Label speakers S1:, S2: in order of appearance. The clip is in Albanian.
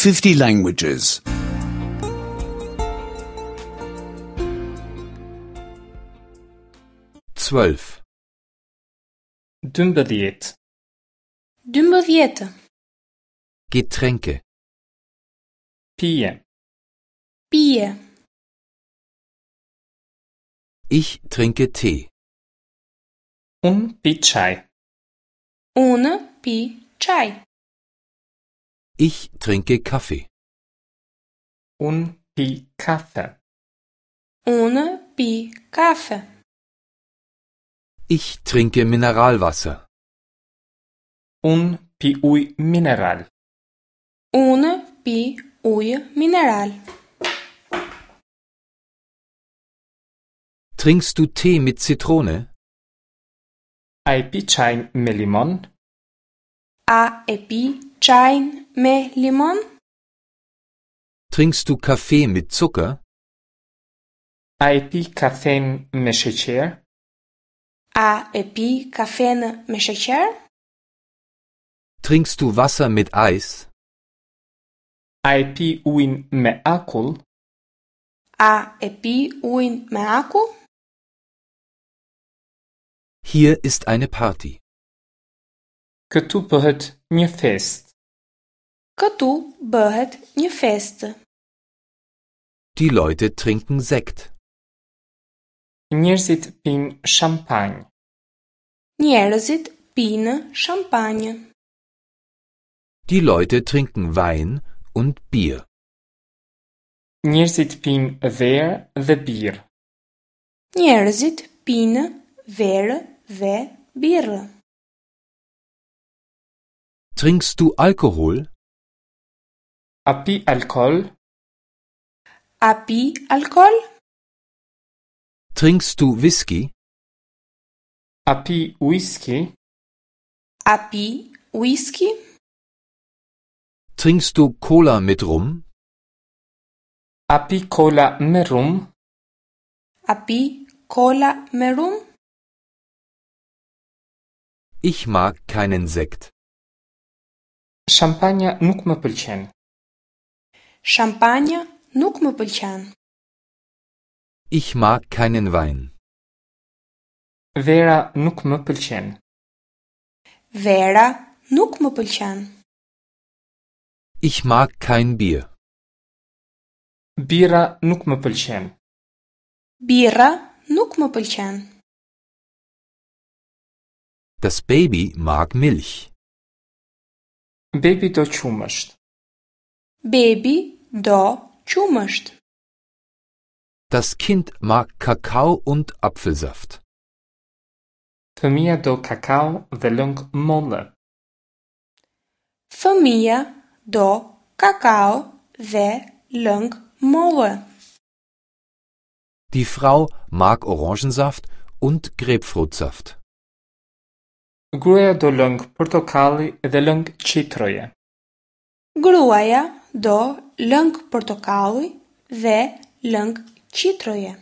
S1: 50 languages.
S2: 12.
S3: 12.
S4: 12.
S2: Getränke.
S3: Pije.
S4: Pije.
S2: Ich trinke Tee.
S3: Unë pi çaj.
S4: Unë pi çaj.
S2: Ich trinke Kaffee.
S3: Unë pi kafe.
S4: Unë pi kafe.
S2: Ich trinke Mineralwasser.
S3: Unë pi ujë mineral.
S4: Unë pi ujë mineral.
S2: Trinkst du Tee mit Zitrone?
S3: A e pi çajin me limon?
S4: A e pi çajin me limon?
S2: Trinkst du Kaffee mit Zucker?
S3: A e pi kafen me sheqer?
S4: A e pi kafenë me sheqer?
S2: Trinkst du Wasser mit Eis?
S3: A e pi ujin me akull?
S4: A e pi ujin me akull?
S2: Hier ist eine Party.
S3: Këtu bëhet një festë.
S4: Këtu bëhet një festë.
S2: Die Leute trinken Sekt.
S3: Njerëzit pinë shampanjë.
S4: Njerëzit pinë shampanjë.
S2: Die Leute trinken Wein und Bier.
S3: Njerëzit pinë verë dhe birrë.
S4: Njerëzit pinë verë dhe birrë.
S2: Trinkst du Alkohol?
S3: A pi alkool?
S4: A pi alkool?
S2: Trinkst du Whisky?
S3: A pi whisky?
S4: A pi whisky?
S2: Trinkst du Cola mit Rum?
S3: A pi cola me rum?
S4: A pi cola me rum?
S2: Ich mag keinen Sekt.
S3: Shampanja nuk më pëlqen.
S4: Shampanja nuk më pëlqen.
S2: Ich mag keinen Wein.
S3: Vera nuk më pëlqen.
S4: Vera nuk më pëlqen.
S2: Ich mag kein Bier.
S3: Birra nuk më pëlqen.
S4: Birra nuk më pëlqen.
S2: Das Baby mag Milch.
S3: Bebi do qumësht.
S4: Bebi do qumësht.
S2: Das Kind mag Kakao und Apfelsaft.
S3: Fëmija do kakao dhe lëng molle.
S4: Fëmija do kakao dhe lëng molle.
S2: Die Frau mag Orangensaft und Grapefruitsaft.
S3: Gruaja do lëng portokalli dhe lëng qitroje.
S4: Gruaja do lëng portokalli dhe lëng qitroje.